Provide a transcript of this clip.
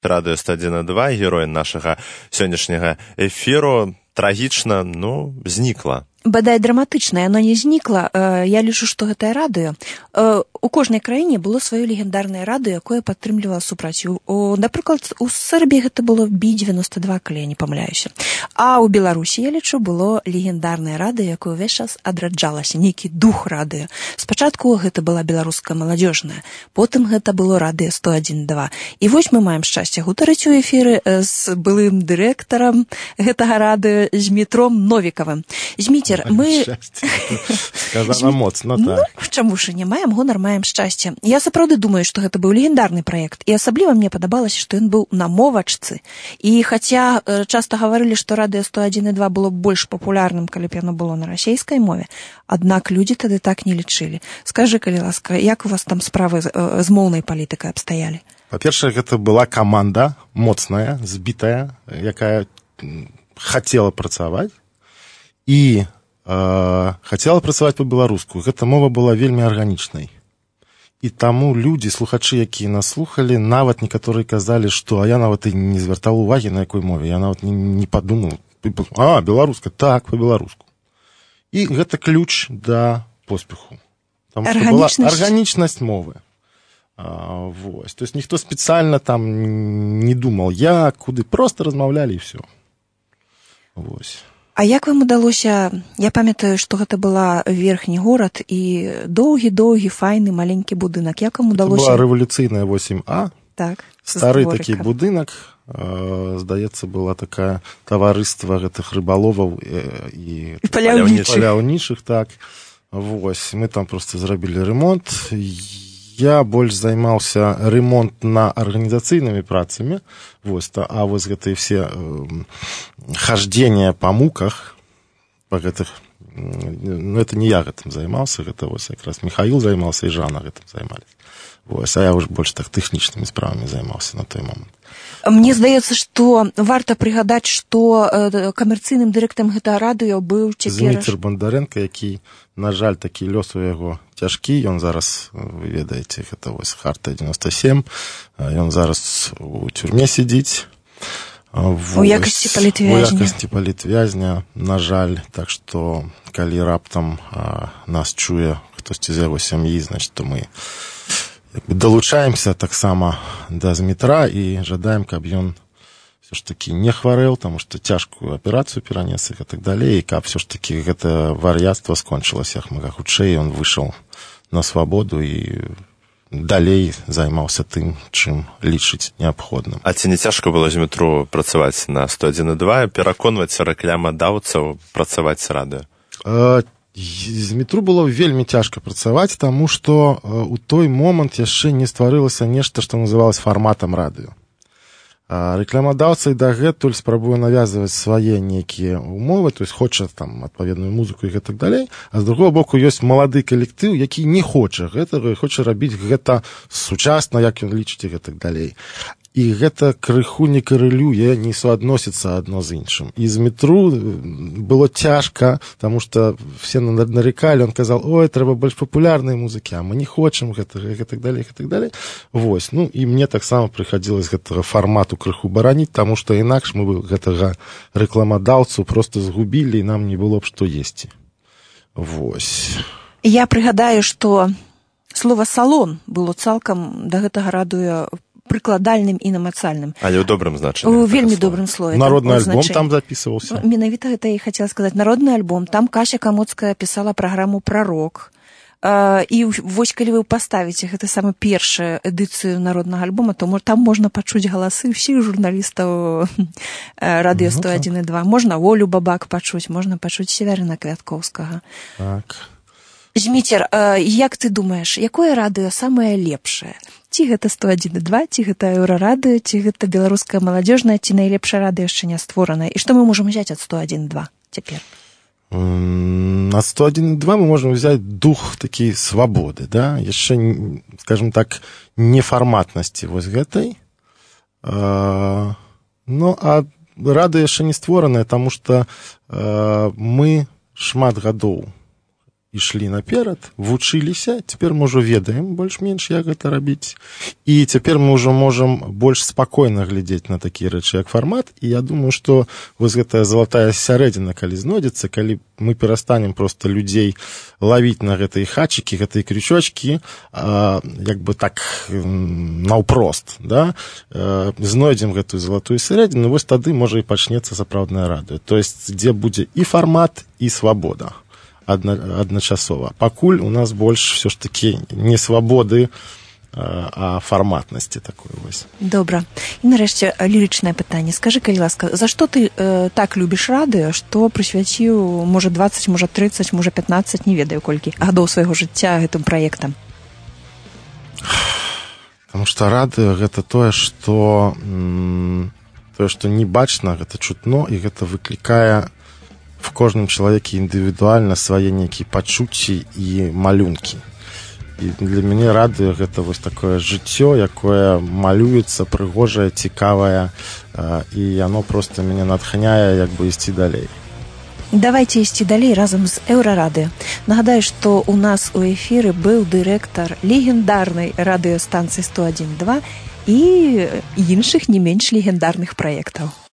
радыё 101,2, герой нашага сённяшняга эфіру, трагічна, знікла. Бадай драматычна, яно не знікла. Я лічу, што гэтае радыё. У кожнай краіне было сваё легендарнае радыё, якое падтрымлівала супрацю. Напрыклад, у Сербіі гэта было B-92, калі я не памыляюся. А ў Беларусі, я лічу, было легендарнае радыё, якое ўвесь час адраджалася, нейкі дух радыё. Спачатку гэта была беларуская маладзёжная, потым гэта было радыё 101,2. І вось мы маем шчасце гутарыць у эфіры з былым дырэктарам гэтага радыё, з Змітром Новікавым. Зміцер, мы... Сказана моцна, так. Чаму ж не маем гонар, маем шчасце. Я сапраўды думаю, што гэта быў легендарны праект. І асабліва мне падабалася, што ён быў на мовачцы. І хаця часта гаварылі, што радыё 101,2 было больш папулярным, калі б яно было на расейскай мове, аднак людзі тады так не лічылі. Скажы, калі ласка, як у вас там справы з моўнай палітыкай абстаялі? Па-першае, гэта была каманда моцная, збітая, якая хацела працаваць і хацела працаваць па-беларуску. Гэта мова была вельмі арганічнай. І таму людзі, слухачы, якія нас слухалі, нават некаторыя казалі, што я нават і не звяртаў увагі, на якой мове. Я нават не падумаў. Беларуска, так, па-беларуску. І гэта ключ да поспеху. Таму што была арганічнасць мовы. Вось. То есть ніхто спецыяльна там не думаў, як, куды, проста размаўлялі і ўсё. Вось. А як вам удалося, я памятаю, што гэта была верхні горад і доўгі-доўгі, файны, маленькі будынак. Як вам удалося? Це була рэвалюцыйная 8А. Так. Стары такі будынак. Здаецца, была такая таварыства гэтых рыбаловаў і паляўнічых, так. Вось, мы там проста зрабілі ремонт. Я больш займаўся ремонт на арганізацыйнымі працамі, вось, а вось гэтыя все хождения по муках, по гэтых, это не я гэтым займаўся, гэта вось якраз Михаил займаўся і Жанна гэтым займались. Вось, а я ўжо больш так тэхнічнымі справамі займаўся на той момант. Мне здаецца, што варта прыгадаць, што камерцыйным дырэктарам гэтага радыё быў цяпер... Зміцер Бондаренко, які, на жаль, такі лёс у яго цяжкі. Ён зараз, вы ведаеце, гэта вось Харта 97. Ён зараз у тюрме сидіць. У якасці палітвязня. У якасці палітвязня, на жаль. Так што, калі раптам нас чуе хтосьці з яго сям'і, значит, то мы... долучаемся таксама да Змітра і жадаем, каб ён все ж таки не хварэў, таму што цяжкую аперацыю перанес і так далей, і каб все ж таки гэта вар'яцтва скончылася як мага хутчэй, ён выйшаў на свабоду і далей займаўся тым, чым лічыць неабходным. А ці не цяжка было Змітру працаваць на 101,2, пераконваць рэкламадаўцаў працаваць з радыё? Змітру было вельмі цяжка працаваць, таму што у той момант яшчэ не стварылася нешта, што называлось фарматам радыё. Рэкламадаўцы дагэтуль спрабуе навязваць свае нейкія умовы, то есть хоча там адпаведную музыку і гэтак далей, а з другого боку ёсць малады калектыў, які не хоча гэтага, хоча рабіць гэта сучасна, як ён лічыць і гэтак далей. І гэта крыху не карэлюе, не суадносіцца адно з іншым. І Змітру было цяжка, таму што все нарекалі, он казал, ой, трэба больш папулярнай музыкі, а мы не хочам гэтага, і гэтак далей, і гэтак далей. Вось, ну, і мне таксама прыхадзілася гэтага фармату крыху бараніць, таму што інакш мы бы гэтага рэкламадаўцу проста згубілі, і нам не было б што есці. Вось. Я прыгадаю, што слова «салон» было цалкам да гэтага радыё прыкладальным і намацальным. Але ў добрым значэнні. У вельмі добрым слове. Народны альбом там запісваўся. Менавіта гэта я хацела сказаць. Народны альбом. Там Кася Камоцкая пісала праграму «Прарок». І вось калі вы паставіце гэта самую першую эдыцыю народнага альбома, то там можна пачуць галасы ўсіх журналістаў радыё 101,2. Можна Волю Бабак пачуць, можна пачуць Севярына Квяткоўскага. Так. Зміцер, як ты думаеш, якое радыё самае лепшае? Ці гэта 101,2, ці гэта Еўрарадыё, ці гэта беларуская маладзёжная, ці найлепшае радыё яшчэ не створанае? І што мы можам взяць ад 101,2 цяпер? Ад 101,2 мы можам взяць дух такі свабоды, да? Яшчэ, скажем так, нефарматнасці вось гэтай. Ну, а радыё яшчэ не створанае, таму што мы шмат гадоў ішлі наперад, вучыліся, цяпер мы ўжо ведаем больш-менш, як гэта рабіць. І цяпер мы ўжо можам больш спакойна глядзець на такія рэчы, як фармат. І я думаю, што вось гэтая залатая сярэдзіна, калі знойдзецца, калі мы перастанем проста людзей лавіць на гэтыя хачыкі, гэтыя крючочкі, як бы так наўпрост, да? Знойдзем гэтую залатую сярэдзіну, вось тады, можа, і пачнецца сапраўднае радыё. То есть, дзе будзе і фармат, і свабода адначасова. Пакуль у нас больш все ж таки не свабоды, а фарматнасці такой вось. Добра. І нарэшце лірычнае пытанне. Скажы, калі ласка, за што ты так любіш радыё, што прысвяціў, можа, 20, можа, 30, можа, 15, не ведаю колькі гадоў свайго жыцця гэтым праектам? Таму што радыё гэта тое, што не бачна, гэта чутно, і гэта выклікае в кожным чалавеке індывідуальна свае нейкія пачуцці і малюнкі. І для мяне радыё гэта вось такое жыццё, якое малюецца, прыгожае, цікавае, і яно проста мяне натхняе як бы ісці далей. Давайте ісці далей разам з Еўрарадыё. Нагадаю, што у нас у эфіры быў дырэктар легендарнай радыёстанцыі 101.2 і іншых не менш легендарных праектаў.